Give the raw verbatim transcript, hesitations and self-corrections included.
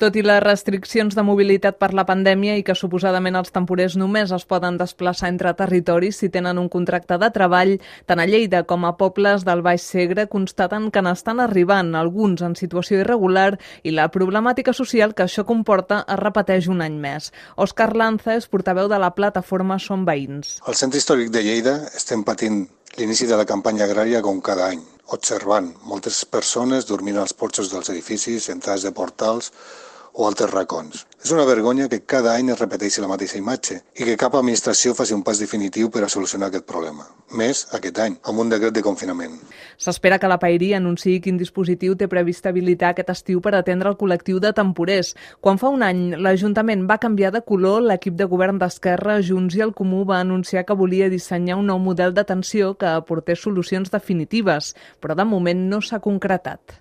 Tot i les restriccions de mobilitat per la pandèmia i que suposadament els temporers només es poden desplaçar entre territoris si tenen un contracte de treball, tant a Lleida com a pobles del Baix Segre constaten que n'estan arribant, alguns en situació irregular, i la problemàtica social que això comporta es repeteix un any més. Òscar Lanza és portaveu de la plataforma Som Veïns. Al centre històric de Lleida estem patint l'inici de la campanya agrària com cada any, observant moltes persones dormint als porxos dels edificis, entrades de portals o altres racons. És una vergonya que cada any es repeteixi la mateixa imatge i que cap administració faci un pas definitiu per a solucionar aquest problema. Més aquest any, amb un decret de confinament. S'espera que la Paeria anunciï quin dispositiu té previst habilitar aquest estiu per atendre el col·lectiu de temporers. Quan fa un any l'Ajuntament va canviar de color, l'equip de govern d'Esquerra, Junts i el Comú va anunciar que volia dissenyar un nou model d'atenció que aportés solucions definitives, però de moment no s'ha concretat.